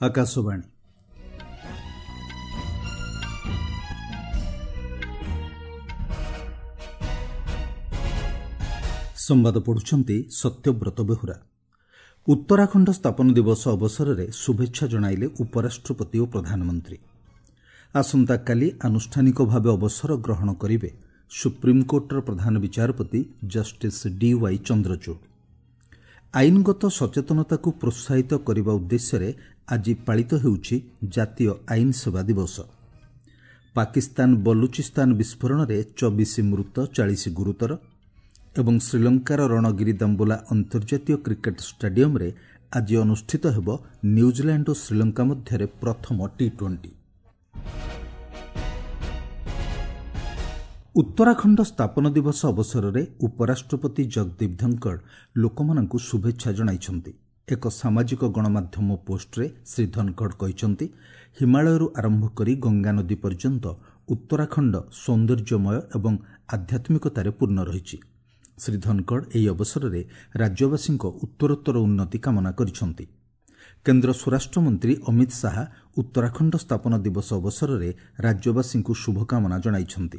ଆକାଶବାଣୀ। ସମ୍ବାଦ ପଢୁଛନ୍ତି ସତ୍ୟବ୍ରତ ବେହୁରା। ଉତ୍ତରାଖଣ୍ଡ ସ୍ଥାପନ ଦିବସ ଅବସରରେ ଶୁଭେଚ୍ଛା ଜଣାଇଲେ ଉପରାଷ୍ଟ୍ରପତି ଓ ପ୍ରଧାନମନ୍ତ୍ରୀ। ଆସନ୍ତାକାଲି ଆନୁଷ୍ଠାନିକ ଭାବେ ଅବସର ଗ୍ରହଣ କରିବେ ସୁପ୍ରିମକୋର୍ଟର ପ୍ରଧାନ ବିଚାରପତି ଜଷ୍ଟିସ୍ ଡିୱାଇ ଚନ୍ଦ୍ରଚୂଡ଼। ଆଇନଗତ ସଚେତନତାକୁ ପ୍ରୋତ୍ସାହିତ କରିବା ଉଦ୍ଦେଶ୍ୟରେ ଆଜି ପାଳିତ ହେଉଛି ଜାତୀୟ ଆଇନ ସେବା ଦିବସ। ପାକିସ୍ତାନ ବଲୁଚିସ୍ତାନ ବିସ୍ଫୋରଣରେ 24 ମୃତ, 40 ଗୁରୁତର ଏବଂ ଶ୍ରୀଲଙ୍କାର ରଣଗିରି ଦାମ୍ବୁଲା ଅନ୍ତର୍ଜାତୀୟ କ୍ରିକେଟ୍ ଷ୍ଟାଡିୟମ୍ରେ ଆଜି ଅନୁଷ୍ଠିତ ହେବ ନ୍ୟୁଜିଲାଣ୍ଡ ଓ ଶ୍ରୀଲଙ୍କା ମଧ୍ୟରେ ପ୍ରଥମ ଟି-20। ଉତ୍ତରାଖଣ୍ଡ ସ୍ଥାପନ ଦିବସ ଅବସରରେ ଉପରାଷ୍ଟ୍ରପତି ଜଗଦୀପ ଧନଖଡ଼ ଲୋକମାନଙ୍କୁ ଶୁଭେଚ୍ଛା ଜଣାଇଛନ୍ତି। ଏକ ସାମାଜିକ ଗଣମାଧ୍ୟମ ପୋଷ୍ଟରେ ଶ୍ରୀ ଧନଖଡ଼ କହିଛନ୍ତି, ହିମାଳୟରୁ ଆରମ୍ଭ କରି ଗଙ୍ଗାନଦୀ ପର୍ଯ୍ୟନ୍ତ ଉତ୍ତରାଖଣ୍ଡ ସୌନ୍ଦର୍ଯ୍ୟମୟ ଏବଂ ଆଧ୍ୟାତ୍ମିକତାରେ ପୂର୍ଣ୍ଣ ରହିଛି। ଶ୍ରୀ ଧନଖଡ଼ ଏହି ଅବସରରେ ରାଜ୍ୟବାସୀଙ୍କ ଉତ୍ତରୋତ୍ତର ଉନ୍ନତି କାମନା କରିଛନ୍ତି। କେନ୍ଦ୍ର ସ୍ୱରାଷ୍ଟ୍ରମନ୍ତ୍ରୀ ଅମିତ ଶାହା ଉତ୍ତରାଖଣ୍ଡ ସ୍ଥାପନ ଦିବସ ଅବସରରେ ରାଜ୍ୟବାସୀଙ୍କୁ ଶୁଭକାମନା ଜଣାଇଛନ୍ତି।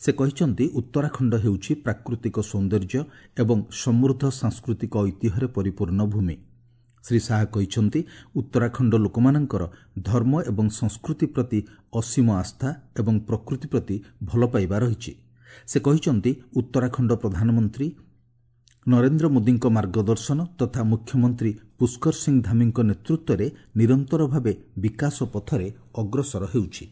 ସେ କହିଛନ୍ତି, ଉତ୍ତରାଖଣ୍ଡ ହେଉଛି ପ୍ରାକୃତିକ ସୌନ୍ଦର୍ଯ୍ୟ ଏବଂ ସମୃଦ୍ଧ ସାଂସ୍କୃତିକ ଐତିହ୍ୟରେ ପରିପୂର୍ଣ୍ଣ ଭୂମି। ଶ୍ରୀ ଶାହା କହିଛନ୍ତି, ଉତ୍ତରାଖଣ୍ଡ ଲୋକମାନଙ୍କର ଧର୍ମ ଏବଂ ସଂସ୍କୃତି ପ୍ରତି ଅସୀମ ଆସ୍ଥା ଏବଂ ପ୍ରକୃତି ପ୍ରତି ଭଲପାଇବା ରହିଛି। ସେ କହିଛନ୍ତି, ଉତ୍ତରାଖଣ୍ଡ ପ୍ରଧାନମନ୍ତ୍ରୀ ନରେନ୍ଦ୍ର ମୋଦିଙ୍କ ମାର୍ଗଦର୍ଶନ ତଥା ମୁଖ୍ୟମନ୍ତ୍ରୀ ପୁଷ୍କର ସିଂ ଧାମୀଙ୍କ ନେତୃତ୍ୱରେ ନିରନ୍ତର ଭାବେ ବିକାଶ ପଥରେ ଅଗ୍ରସର ହେଉଛି।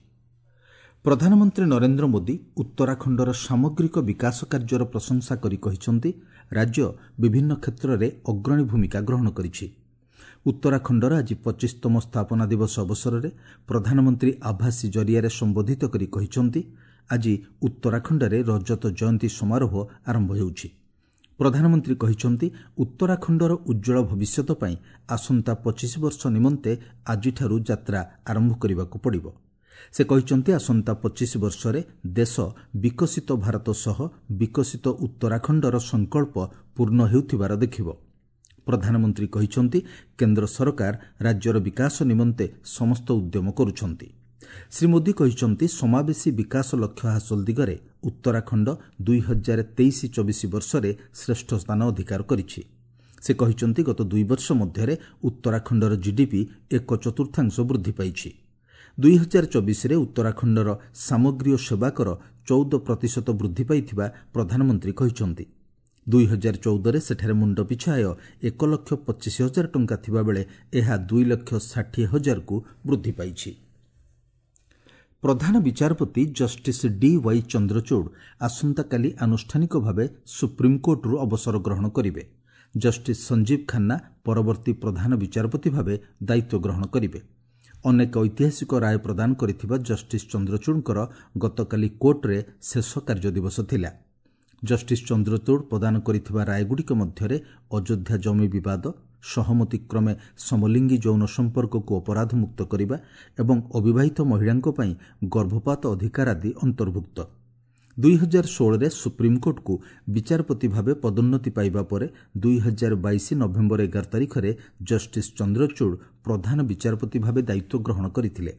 ପ୍ରଧାନମନ୍ତ୍ରୀ ନରେନ୍ଦ୍ର ମୋଦି ଉତ୍ତରାଖଣ୍ଡର ସାମଗ୍ରିକ ବିକାଶ କାର୍ଯ୍ୟର ପ୍ରଶଂସା କରି କହିଛନ୍ତି, ରାଜ୍ୟ ବିଭିନ୍ନ କ୍ଷେତ୍ରରେ ଅଗ୍ରଣୀ ଭୂମିକା ଗ୍ରହଣ କରିଛି। ଉତ୍ତରାଖଣ୍ଡର ଆଜି 25ତମ ସ୍ଥାପନା ଦିବସ ଅବସରରେ ପ୍ରଧାନମନ୍ତ୍ରୀ ଆଭାସୀ ଜରିଆରେ ସମ୍ବୋଧିତ କରି କହିଛନ୍ତି, ଆଜି ଉତ୍ତରାଖଣ୍ଡରେ ରଜତ ଜୟନ୍ତୀ ସମାରୋହ ଆରମ୍ଭ ହେଉଛି। ପ୍ରଧାନମନ୍ତ୍ରୀ କହିଛନ୍ତି, ଉତ୍ତରାଖଣ୍ଡର ଉଜ୍ଜ୍ୱଳ ଭବିଷ୍ୟତ ପାଇଁ ଆସନ୍ତା 25 ବର୍ଷ ନିମନ୍ତେ ଆଜିଠାରୁ ଯାତ୍ରା ଆରମ୍ଭ କରିବାକୁ ପଡ଼ିବ। ସେ କହିଛନ୍ତି, ଆସନ୍ତା 25 ବର୍ଷରେ ଦେଶ ବିକଶିତ ଭାରତ ସହ ବିକଶିତ ଉତ୍ତରାଖଣ୍ଡର ସଂକଳ୍ପ ପୂର୍ଣ୍ଣ ହେଉଥିବାର ଦେଖିବ। ପ୍ରଧାନମନ୍ତ୍ରୀ କହିଛନ୍ତି, କେନ୍ଦ୍ର ସରକାର ରାଜ୍ୟର ବିକାଶ ନିମନ୍ତେ ସମସ୍ତ ଉଦ୍ୟମ କରୁଛନ୍ତି। ଶ୍ରୀ ମୋଦି କହିଛନ୍ତି, ସମାବେଶୀ ବିକାଶ ଲକ୍ଷ୍ୟ ହାସଲ ଦିଗରେ ଉତ୍ତରାଖଣ୍ଡ 2023-24 ବର୍ଷରେ ଶ୍ରେଷ୍ଠ ସ୍ଥାନ ଅଧିକାର କରିଛି। ସେ କହିଛନ୍ତି, ଗତ 2 ବର୍ଷ ମଧ୍ୟରେ ଉତ୍ତରାଖଣ୍ଡର ଜିଡିପି 1/4 ବୃଦ୍ଧି ପାଇଛି। 2024ରେ ଉତ୍ତରାଖଣ୍ଡର ସାମଗ୍ରୀ ଓ ସେବାକର 14% ବୃଦ୍ଧି ପାଇଥିବା ପ୍ରଧାନମନ୍ତ୍ରୀ କହିଛନ୍ତି। 2014ରେ ସେଠାରେ ମୁଣ୍ଡପିଛା ଆୟ 1,25,000 ଟଙ୍କା ଥିବାବେଳେ ଏହା 2,60,000କୁ ବୃଦ୍ଧି ପାଇଛି। ପ୍ରଧାନ ବିଚାରପତି ଜଷ୍ଟିସ୍ ଡିୱାଇ ଚନ୍ଦ୍ରଚୂଡ଼ ଆସନ୍ତାକାଲି ଆନୁଷ୍ଠାନିକ ଭାବେ ସୁପ୍ରିମକୋର୍ଟରୁ ଅବସର ଗ୍ରହଣ କରିବେ। ଜଷ୍ଟିସ୍ ସଞ୍ଜୀବ ଖାନ୍ନା ପରବର୍ତ୍ତୀ ପ୍ରଧାନ ବିଚାରପତି ଭାବେ ଦାୟିତ୍ୱ ଗ୍ରହଣ କରିବେ। ଅନେକ ଐତିହାସିକ ରାୟ ପ୍ରଦାନ କରିଥିବା ଜଷ୍ଟିସ୍ ଚନ୍ଦ୍ରଚୂଡ଼ଙ୍କର ଗତକାଲି କୋର୍ଟରେ ଶେଷ କାର୍ଯ୍ୟଦିବସ ଥିଲା। ଜଷ୍ଟିସ୍ ଚନ୍ଦ୍ରଚୂଡ଼ ପ୍ରଦାନ କରିଥିବା ରାୟଗୁଡ଼ିକ ମଧ୍ୟରେ ଅଯୋଧ୍ୟା ଜମି ବିବାଦ, ସହମତି କ୍ରମେ ସମଲିଙ୍ଗୀ ଯୌନ ସମ୍ପର୍କକୁ ଅପରାଧମୁକ୍ତ କରିବା ଏବଂ ଅବିବାହିତ ମହିଳାଙ୍କ ପାଇଁ ଗର୍ଭପାତ ଅଧିକାର ଆଦି ଅନ୍ତର୍ଭୁକ୍ତ। 2016ରେ ସୁପ୍ରିମକୋର୍ଟକୁ ବିଚାରପତି ଭାବେ ପଦୋନ୍ନତି ପାଇବା ପରେ 2022 ନଭେମ୍ବର 11 ତାରିଖରେ ଜଷ୍ଟିସ୍ ଚନ୍ଦ୍ରଚୂଡ଼ ପ୍ରଧାନ ବିଚାରପତି ଭାବେ ଦାୟିତ୍ୱ ଗ୍ରହଣ କରିଥିଲେ।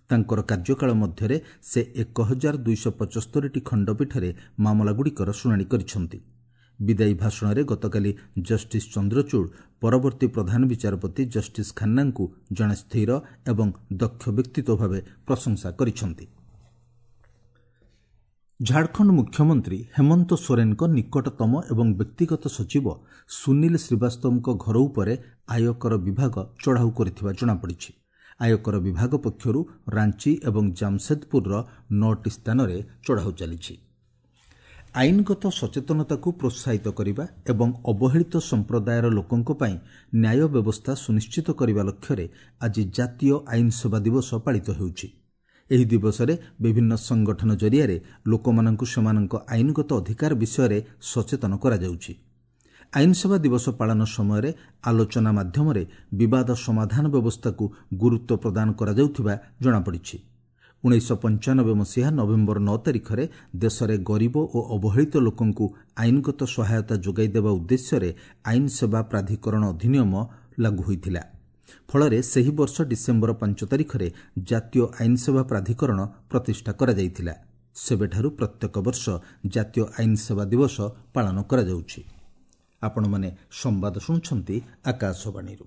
ତାଙ୍କର କାର୍ଯ୍ୟକାଳ ମଧ୍ୟରେ ସେ 1275ଟି ଖଣ୍ଡପୀଠରେ ମାମଲାଗୁଡ଼ିକର ଶୁଣାଣି କରିଛନ୍ତି। ବିଦାୟୀ ଭାଷଣରେ ଗତକାଲି ଜଷ୍ଟିସ୍ ଚନ୍ଦ୍ରଚୂଡ଼ ପରବର୍ତ୍ତୀ ପ୍ରଧାନ ବିଚାରପତି ଜଷ୍ଟିସ୍ ଖାନ୍ନାଙ୍କୁ ଜଣେ ସ୍ଥିର ଏବଂ ଦକ୍ଷ ବ୍ୟକ୍ତିତ୍ୱ ଭାବେ ପ୍ରଶଂସା କରିଛନ୍ତି। ଝାଡ଼ଖଣ୍ଡ ମୁଖ୍ୟମନ୍ତ୍ରୀ ହେମନ୍ତ ସୋରେନଙ୍କ ନିକଟତମ ଏବଂ ବ୍ୟକ୍ତିଗତ ସଚିବ ସୁନୀଲ ଶ୍ରୀବାସ୍ତବଙ୍କ ଘର ଉପରେ ଆୟକର ବିଭାଗ ଚଢ଼ାଉ କରିଥିବା ଜଣାପଡ଼ିଛି। ଆୟକର ବିଭାଗ ପକ୍ଷରୁ ରାଞ୍ଚି ଏବଂ ଜାମସେଦପୁରର 9ଟି ସ୍ଥାନରେ ଚଢ଼ାଉ ଚାଲିଛି। ଆଇନଗତ ସଚେତନତାକୁ ପ୍ରୋତ୍ସାହିତ କରିବା ଏବଂ ଅବହେଳିତ ସମ୍ପ୍ରଦାୟର ଲୋକଙ୍କ ପାଇଁ ନ୍ୟାୟ ବ୍ୟବସ୍ଥା ସୁନିଶ୍ଚିତ କରିବା ଲକ୍ଷ୍ୟରେ ଆଜି ଜାତୀୟ ଆଇନ ସେବା ଦିବସ ପାଳିତ ହେଉଛି। ଏହି ଦିବସରେ ବିଭିନ୍ନ ସଂଗଠନ ଜରିଆରେ ଲୋକମାନଙ୍କୁ ସେମାନଙ୍କ ଆଇନଗତ ଅଧିକାର ବିଷୟରେ ସଚେତନ କରାଯାଉଛି। ଆଇନ ସେବା ଦିବସ ପାଳନ ସମୟରେ ଆଲୋଚନା ମାଧ୍ୟମରେ ବିବାଦ ସମାଧାନ ବ୍ୟବସ୍ଥାକୁ ଗୁରୁତ୍ୱ ପ୍ରଦାନ କରାଯାଉଥିବା ଜଣାପଡ଼ିଛି। 1995 ମସିହା ନଭେମ୍ବର 9 ତାରିଖରେ ଦେଶରେ ଗରିବ ଓ ଅବହେଳିତ ଲୋକଙ୍କୁ ଆଇନଗତ ସହାୟତା ଯୋଗାଇ ଦେବା ଉଦ୍ଦେଶ୍ୟରେ ଆଇନ ସେବା ପ୍ରାଧିକରଣ ଅଧିନିୟମ ଲାଗୁ ହୋଇଥିଲା। ଫଳରେ ସେହି ବର୍ଷ ଡିସେମ୍ବର 5 ତାରିଖରେ ଜାତୀୟ ଆଇନସେବା ପ୍ରାଧିକରଣ ପ୍ରତିଷ୍ଠା କରାଯାଇଥିଲା। ସେବେଠାରୁ ପ୍ରତ୍ୟେକ ବର୍ଷ ଜାତୀୟ ଆଇନସେବା ଦିବସ ପାଳନ କରାଯାଉଛି। ଆପଣମାନେ ସମ୍ବାଦ ଶୁଣୁଛନ୍ତି ଆକାଶବାଣୀରୁ।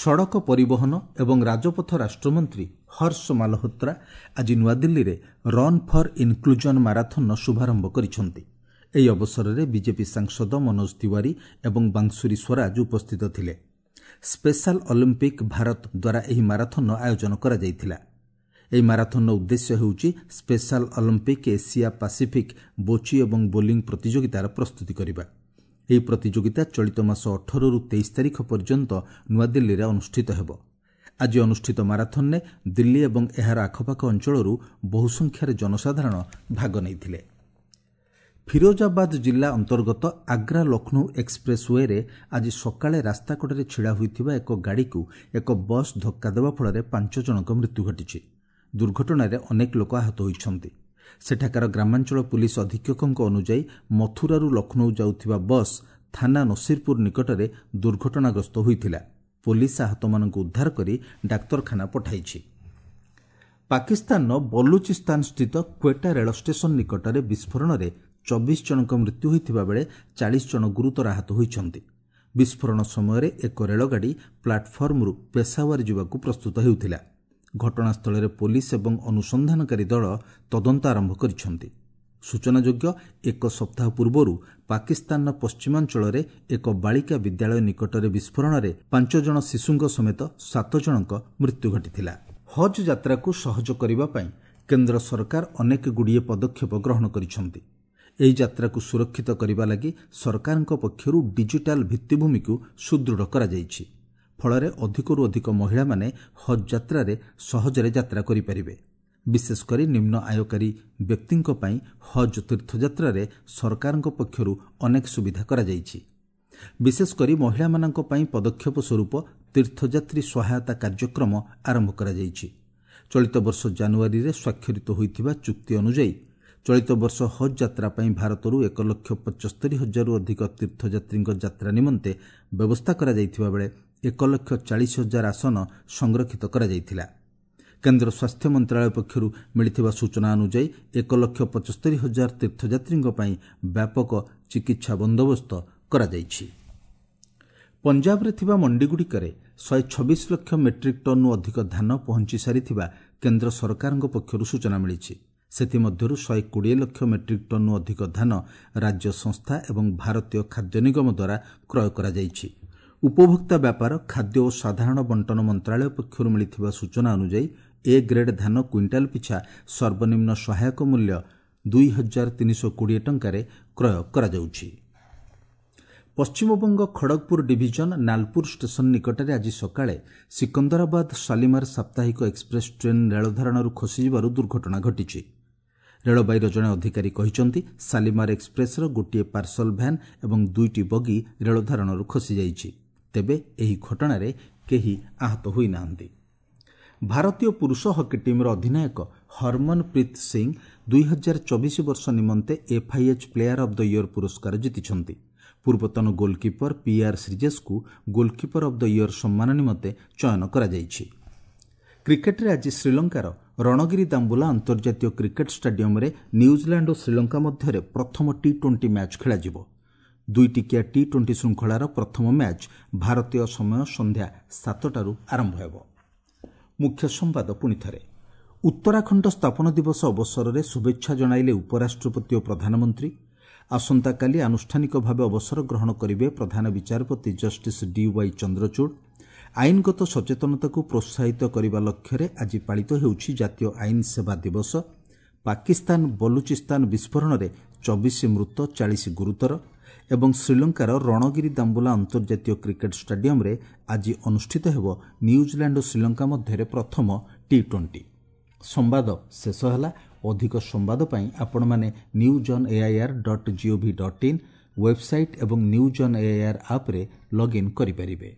ସଡ଼କ ପରିବହନ ଏବଂ ରାଜପଥ ରାଷ୍ଟ୍ରମନ୍ତ୍ରୀ ହର୍ଷ ମାଲହୋତ୍ରା ଆଜି ନୂଆଦିଲ୍ଲୀରେ ରନ୍ ଫର୍ ଇନ୍କ୍ଲୁଜନ୍ ମାରାଥନ୍ର ଶୁଭାରମ୍ଭ କରିଛନ୍ତି। ଏହି ଅବସରରେ ବିଜେପି ସାଂସଦ ମନୋଜ ତିୱାରୀ ଏବଂ ବାଂଶୁରୀ ସ୍ୱରାଜ ଉପସ୍ଥିତ ଥିଲେ। ସ୍ପେଶାଲ ଅଲିମ୍ପିକ୍ ଭାରତ ଦ୍ୱାରା ଏହି ମାରାଥନ୍ର ଆୟୋଜନ କରାଯାଇଥିଲା। ଏହି ମାରାଥନ୍ର ଉଦ୍ଦେଶ୍ୟ ହେଉଛି ସ୍ପେଶାଲ ଅଲିମ୍ପିକ୍ ଏସିଆ ପାସିଫିକ୍ ବୋଚି ଏବଂ ବୋଲିଂ ପ୍ରତିଯୋଗିତାର ପ୍ରସ୍ତୁତି କରିବା। ଏହି ପ୍ରତିଯୋଗିତା ଚଳିତ ମାସ 18ରୁ 23 ତାରିଖ ପର୍ଯ୍ୟନ୍ତ ନୂଆଦିଲ୍ଲୀରେ ଅନୁଷ୍ଠିତ ହେବ। ଆଜି ଅନୁଷ୍ଠିତ ମାରାଥନ୍ରେ ଦିଲ୍ଲୀ ଏବଂ ଏହାର ଆଖପାଖ ଅଞ୍ଚଳରୁ ବହୁ ସଂଖ୍ୟାରେ ଜନସାଧାରଣ ଭାଗ ନେଇଥିଲେ। ଫିରୋଜାବାଦ ଜିଲ୍ଲା ଅନ୍ତର୍ଗତ ଆଗ୍ରା ଲକ୍ଷ୍ନୌ ଏକ୍ସପ୍ରେସ୍ ୱେରେ ଆଜି ସକାଳେ ରାସ୍ତାକଡ଼ରେ ଛିଡ଼ା ହୋଇଥିବା ଏକ ଗାଡ଼ିକୁ ଏକ ବସ୍ ଧକ୍କା ଦେବା ଫଳରେ 5 ଜଣଙ୍କ ମୃତ୍ୟୁ ଘଟିଛି। ଦୁର୍ଘଟଣାରେ ଅନେକ ଲୋକ ଆହତ ହୋଇଛନ୍ତି। ସେଠାକାର ଗ୍ରାମାଞ୍ଚଳ ପୁଲିସ ଅଧୀକ୍ଷକଙ୍କ ଅନୁଯାୟୀ ମଥୁରାରୁ ଲକ୍ଷ୍ନୌ ଯାଉଥିବା ବସ୍ ଥାନା ନସିରପୁର ନିକଟରେ ଦୁର୍ଘଟଣାଗ୍ରସ୍ତ ହୋଇଥିଲା। ପୋଲିସ ଆହତମାନଙ୍କୁ ଉଦ୍ଧାର କରି ଡାକ୍ତରଖାନା ପଠାଇଛି। ପାକିସ୍ତାନର ବଲୁଚିସ୍ତାନ ସ୍ଥିତ କ୍ୱେଟା ରେଳ ଷ୍ଟେସନ ନିକଟରେ ବିସ୍ଫୋରଣରେ 24 ଜଣଙ୍କ ମୃତ୍ୟୁ ହୋଇଥିବା ବେଳେ 40 ଜଣ ଗୁରୁତର ଆହତ ହୋଇଛନ୍ତି। ବିସ୍ଫୋରଣ ସମୟରେ ଏକ ରେଳଗାଡ଼ି ପ୍ଲାଟଫର୍ମରୁ ପେଶାୱାର ଯିବାକୁ ପ୍ରସ୍ତୁତ ହେଉଥିଲା। ଘଟଣାସ୍ଥଳରେ ପୋଲିସ ଏବଂ ଅନୁସନ୍ଧାନକାରୀ ଦଳ ତଦନ୍ତ ଆରମ୍ଭ କରିଛନ୍ତି। ସୂଚନାଯୋଗ୍ୟ, ଏକ ସପ୍ତାହ ପୂର୍ବରୁ ପାକିସ୍ତାନର ପଶ୍ଚିମାଞ୍ଚଳରେ ଏକ ବାଳିକା ବିଦ୍ୟାଳୟ ନିକଟରେ ବିସ୍ଫୋରଣରେ 5 ଜଣ ଶିଶୁଙ୍କ ସମେତ 7 ଜଣଙ୍କ ମୃତ୍ୟୁ ଘଟିଥିଲା। ହଜ୍ ଯାତ୍ରାକୁ ସହଜ କରିବା ପାଇଁ କେନ୍ଦ୍ର ସରକାର ଅନେକ ଗୁଡ଼ିଏ ପଦକ୍ଷେପ ଗ୍ରହଣ କରିଛନ୍ତି। ଏହି ଯାତ୍ରାକୁ ସୁରକ୍ଷିତ କରିବା ଲାଗି ସରକାରଙ୍କ ପକ୍ଷରୁ ଡିଜିଟାଲ ଭିତ୍ତିଭୂମିକୁ ସୁଦୃଢ଼ କରାଯାଇଛି। ଫଳରେ ଅଧିକରୁ ଅଧିକ ମହିଳାମାନେ ହଜ୍ ଯାତ୍ରାରେ ସହଜରେ ଯାତ୍ରା କରିପାରିବେ। ବିଶେଷକରି ନିମ୍ନ ଆୟକାରୀ ବ୍ୟକ୍ତିଙ୍କ ପାଇଁ ହଜ୍ ତୀର୍ଥଯାତ୍ରାରେ ସରକାରଙ୍କ ପକ୍ଷରୁ ଅନେକ ସୁବିଧା କରାଯାଇଛି। ବିଶେଷକରି ମହିଳାମାନଙ୍କ ପାଇଁ ପଦକ୍ଷେପ ସ୍ୱରୂପ ତୀର୍ଥଯାତ୍ରୀ ସହାୟତା କାର୍ଯ୍ୟକ୍ରମ ଆରମ୍ଭ କରାଯାଇଛି। ଚଳିତ ବର୍ଷ ଜାନୁଆରୀରେ ସ୍ୱାକ୍ଷରିତ ହୋଇଥିବା ଚୁକ୍ତି ଅନୁଯାୟୀ ଚଳିତ ବର୍ଷ ହଜ୍ ଯାତ୍ରା ପାଇଁ ଭାରତରୁ 1,75,000ରୁ ଅଧିକ ତୀର୍ଥଯାତ୍ରୀଙ୍କ ଯାତ୍ରା ନିମନ୍ତେ ବ୍ୟବସ୍ଥା କରାଯାଇଥିବା ବେଳେ 1,40,000 ଆସନ ସଂରକ୍ଷିତ କରାଯାଇଥିଲା। କେନ୍ଦ୍ର ସ୍ୱାସ୍ଥ୍ୟ ମନ୍ତ୍ରାଳୟ ପକ୍ଷରୁ ମିଳିଥିବା ସୂଚନା ଅନୁଯାୟୀ 1,75,000 ତୀର୍ଥଯାତ୍ରୀଙ୍କ ପାଇଁ ବ୍ୟାପକ ଚିକିତ୍ସା ବନ୍ଦୋବସ୍ତ କରାଯାଇଛି। ପଞ୍ଜାବରେ ଥିବା ମଣ୍ଡିଗୁଡ଼ିକରେ 126 ଲକ୍ଷ ମେଟ୍ରିକ୍ ଟନ୍ରୁ ଅଧିକ ଧାନ ପହଞ୍ଚି ସାରିଥିବା କେନ୍ଦ୍ର ସରକାରଙ୍କ ପକ୍ଷରୁ ସୂଚନା ମିଳିଛି। ସେଥିମଧ୍ୟରୁ 120 ଲକ୍ଷ ମେଟ୍ରିକ୍ ଟନ୍ରୁ ଅଧିକ ଧାନ ରାଜ୍ୟ ସଂସ୍ଥା ଏବଂ ଭାରତୀୟ ଖାଦ୍ୟ ନିଗମ ଦ୍ୱାରା କ୍ରୟ କରାଯାଇଛି। ଉପଭୋକ୍ତା ବ୍ୟାପାର, ଖାଦ୍ୟ ଓ ସାଧାରଣ ବଣ୍ଟନ ମନ୍ତ୍ରାଳୟ ପକ୍ଷରୁ ମିଳିଥିବା ସୂଚନା ଅନୁଯାୟୀ ଏ ଗ୍ରେଡ୍ ଧାନ କୁଇଣ୍ଟାଲ ପିଛା ସର୍ବନିମ୍ନ ସହାୟକ ମୂଲ୍ୟ 2320 ଟଙ୍କାରେ କ୍ରୟ କରାଯାଉଛି। ପଶ୍ଚିମବଙ୍ଗ ଖଡ଼ଗପୁର ଡିଭିଜନ ନାଲପୁର ଷ୍ଟେସନ ନିକଟରେ ଆଜି ସକାଳେ ସିକନ୍ଦରାବାଦ ଶାଲିମାର ସାପ୍ତାହିକ ଏକ୍ସପ୍ରେସ୍ ଟ୍ରେନ୍ ରେଳଧାରଣାରୁ ଖସିଯିବାରୁ ଦୁର୍ଘଟଣା ଘଟିଛି। ରେଳବାଇର ଜଣେ ଅଧିକାରୀ କହିଛନ୍ତି, ଶାଲିମାର ଏକ୍ସପ୍ରେସ୍ର ଗୋଟିଏ ପାର୍ସଲ ଭ୍ୟାନ୍ ଏବଂ 2ଟି ବଗି ରେଳଧାରଣାରୁ ଖସିଯାଇଛି। ତେବେ ଏହି ଘଟଣାରେ କେହି ଆହତ ହୋଇନାହାନ୍ତି। ଭାରତୀୟ ପୁରୁଷ ହକି ଟିମ୍ର ଅଧିନାୟକ ହରମନପ୍ରୀତ ସିଂ 2024 ବର୍ଷ ନିମନ୍ତେ FIH player of the year ପୁରସ୍କାର ଜିତିଛନ୍ତି। ପୂର୍ବତନ ଗୋଲକିପର ପିଆର୍ ଶ୍ରୀଜେଶଙ୍କୁ ଗୋଲକିପର ଅଫ୍ the year ସମ୍ମାନ ନିମନ୍ତେ ଚୟନ କରାଯାଇଛି। କ୍ରିକେଟରେ ଆଜି ଶ୍ରୀଲଙ୍କାର ରଣଗିରି ଦାମ୍ବୁଲା ଅନ୍ତର୍ଜାତୀୟ କ୍ରିକେଟ ଷ୍ଟାଡିୟମରେ ନ୍ୟୁଜିଲାଣ୍ଡ ଓ ଶ୍ରୀଲଙ୍କା ମଧ୍ୟରେ ପ୍ରଥମ ଟି-20 ମ୍ୟାଚ୍ ଖେଳାଯିବ। 2 ଟିକିଆ ଟି-20 ଶୃଙ୍ଖଳାର ପ୍ରଥମ ମ୍ୟାଚ୍ ଭାରତୀୟ ସମୟ ସନ୍ଧ୍ୟା 7ଟାରୁ ଆରମ୍ଭ ହେବ। ମୁଖ୍ୟ ସମ୍ବାଦ ପୁଣିଥରେ। ଉତ୍ତରାଖଣ୍ଡ ସ୍ଥାପନ ଦିବସ ଅବସରରେ ଶୁଭେଚ୍ଛା ଜଣାଇଲେ ଉପରାଷ୍ଟ୍ରପତି ଓ ପ୍ରଧାନମନ୍ତ୍ରୀ। ଆସନ୍ତାକାଲି ଆନୁଷ୍ଠାନିକ ଭାବେ ଅବସର ଗ୍ରହଣ କରିବେ ପ୍ରଧାନ ବିଚାରପତି ଜଷ୍ଟିସ୍ ଡିୱାଇ ଚନ୍ଦ୍ରଚୂଡ଼। ଆଇନଗତ ସଚେତନତାକୁ ପ୍ରୋତ୍ସାହିତ କରିବା ଲକ୍ଷ୍ୟରେ ଆଜି ପାଳିତ ହେଉଛି ଜାତୀୟ ଆଇନ ସେବା ଦିବସ। ପାକିସ୍ତାନ ବଲୁଚିସ୍ତାନ ବିସ୍ଫୋରଣରେ 24 ମୃତ, 40 ଗୁରୁତର। ଏବଂ ଶ୍ରୀଲଙ୍କାର ରଣଗିରି ଦାମ୍ବୁଲା ଅନ୍ତର୍ଜାତୀୟ କ୍ରିକେଟ ଷ୍ଟାଡିୟମରେ ଆଜି ଅନୁଷ୍ଠିତ ହେବ ନ୍ୟୁଜିଲାଣ୍ଡ ଓ ଶ୍ରୀଲଙ୍କା ମଧ୍ୟରେ ପ୍ରଥମ ଟି-20। ସମ୍ବାଦ ଶେଷ ହେଲା। ଅଧିକ ସମ୍ବାଦ ପାଇଁ ଆପଣମାନେ news on air.gov.in website ଏବଂ ନ୍ୟୁଜ୍ ଅନ୍ ଏଆଇଆର୍ ଆପ୍ରେ ଲଗ୍ଇନ୍ କରିପାରିବେ।